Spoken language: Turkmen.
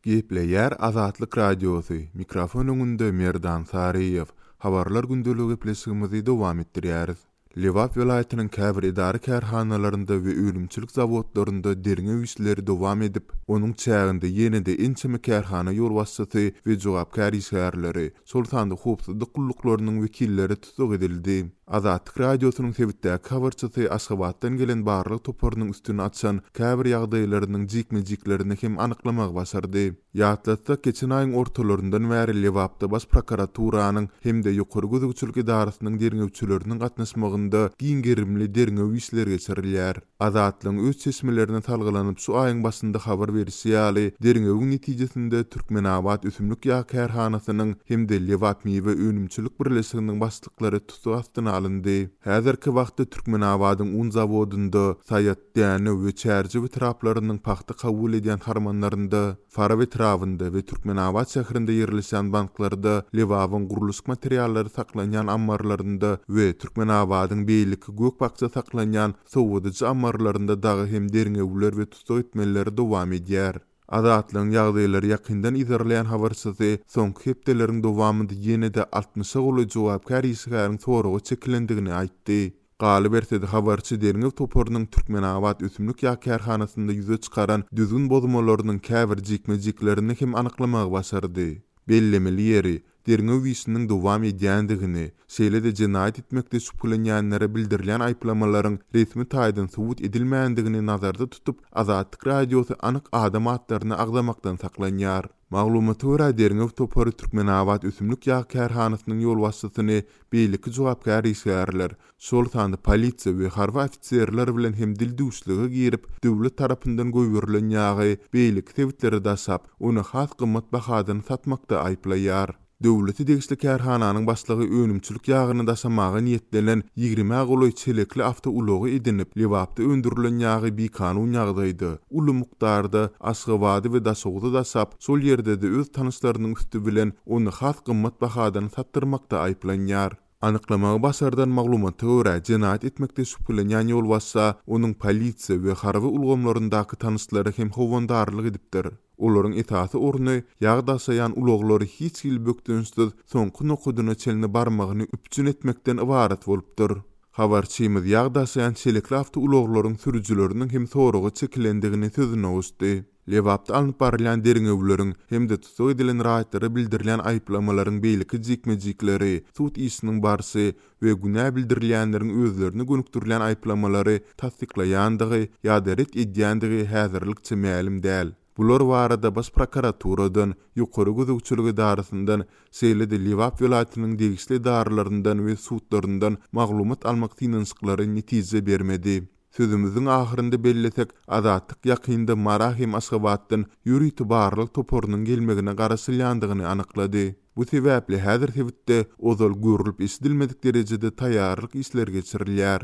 Gepleýär Azatlyk Radiosy, mikrofon öňünde Merdan Saryýew. Habarlar gündeligi gepleşigimizi dowam etdirýäris. Lebap welaýatynyň käbir edara-kärhanalarynda we önümçilik zawodlarynda derňew işleri dowam edip, onuň çäginde ýene-de ençeme kärhana ýolbaşçysy we jogapkär işgärleri, şol sanda howpsuzlyk gulluklarynyň wekilleri tussag edildi. Azatlyk Radiosynyň sebitdäki habarçysy Aşgabatdan gelen barlag toparynyň üstüni açan käbir ýagdaýlarynyň jikme-jiklerini hem anyklamagy başardy. Ýatlatsak, geçen aýyň ortalaryndan bäri Lebapda Baş prokuraturanyň hem-de Ýokary gözegçilik edarasynyň derňewçileriniň gatnaşmagynda giň gerimli derňew işleri geçirilýär. Azatlygyň öz çeşmelerine salgylanyp şu aýyň başynda habar berişi ýaly, derňewiň netijesinde Türkmenabat ösümlik ýag kärhanasynyň hem-de Lebapmiwe önümçilik birleşiginiň başlyklary tussag astyna alyndy. Häzirki wagtda Türkmenabadyň un zawodynda, Saýat, Dänew we Çärjew etraplarynyň pagta kabul edýän harmanlarynda, Farap etrabynda we Türkmenabat şäherinde ýerleşýän banklarda, Lebabyň gurluşyk materiallary saklanýan ammarlarynda we Türkmenabadyň beýleki gök-bakja saklanýan sowadyjy ammarlarynda dagy hem derňewler we tussag etmeler dowam edýär. Azatlygyň ýagdaýlary ýakyndan yzarlaýan habarçysy soňky hepdeleriň dowamynda ýene-de altmyşa golaý jogapkär işgäriň soraga çekilendigini aýtdy. Galyberse-de, habarçy derňew toparynyň Türkmenabat ösümlik ýag kärhanasynda ýüze çykaran düzgün bozmalarynyň käbir jikme-jiklerini hem anyklamagy başardy. Bellemeli ýeri, derňew işiniň dowam edýändigini, şeýle-de jenaýat etmekde şübhelenýänlere bildirilýän aýyplamalaryň resmi taýdan subut edilmändigini nazarda tutup, Azatlyk Radiosy anyk adam atlaryny agzamakdan saklanýar. Maglumata görä, derňew topary Türkmenabat ösümlik ýag kärhanasynyň ýolbaşçysyny beýleki jogapkär işgärler, şol sanda polisiýa we harby ofiserler bilen hem dildüwşlige girip, döwlet tarapyndan goýberilen ýagy beýleki sebitlere daşap, ony has gymmat bahadan satmakda aýyplaýar. Döwlete degişli kärhananyň başlygy önümçilik ýagyny daşamaga niýetlenen ýigrimä golaý çelekli awtoulagy edinip, Lebapda öndürilen ýagy bikanun ýagdaýda, uly mukdarda Aşgabada we Daşoguza daşap, şol ýerde-de öz tanyşlarynyň üsti bilen ony has gymmat bahadan satdyrmakda aýyplanýar. Anyklamagy başardan maglumata görä, jenaýat etmekde şübhelenýän ýolbaşça onuň polisiýa we harby ulgamlaryndaky tanyşlary hem howandarlyk edipdir. Olaryň esasy orny ýag daşaýan ulaglary hiç hili bökdençsiz soňky nokadyna çenli barmagyny üpjün etmekden ybarat bolupdyr. Habarçymyz ýag daşaýan çelekli awtoulaglaryň sürüjileriniň hem soraga çekilendigini sözüne goşdy. Lebapda alnyp barylýan derňewleriň hem-de tussag edilen raýatlara bildirilýän aýyplamalaryň beýleki jikme-jikleri, sud işiniň barşy we günä bildirilýänleriň özlerine gönükdirilen aýyplamalary tassyklaýandygy ýa-da ret edýändigi häzirlikçe mälim däl. Bular barada Baş prokuraturadan, Ýokary gözegçilik edarasyndan, şeýle-de Lebap welaýatynyň degişli edaralaryndan we sudlaryndan maglumat almak synanyşyklary netije bermedi. Sözümiziň ahyrynda bellesek, Azatlyk ýakynda Mara hem Aşgabatdan ýörite barlag toparynyň gelmegine garaşylýandygyny anyklady. Bu sebäpli häzir sebitde ozal görlüp-eşidilmedik derejede taýýarlyk işleri geçirilýär.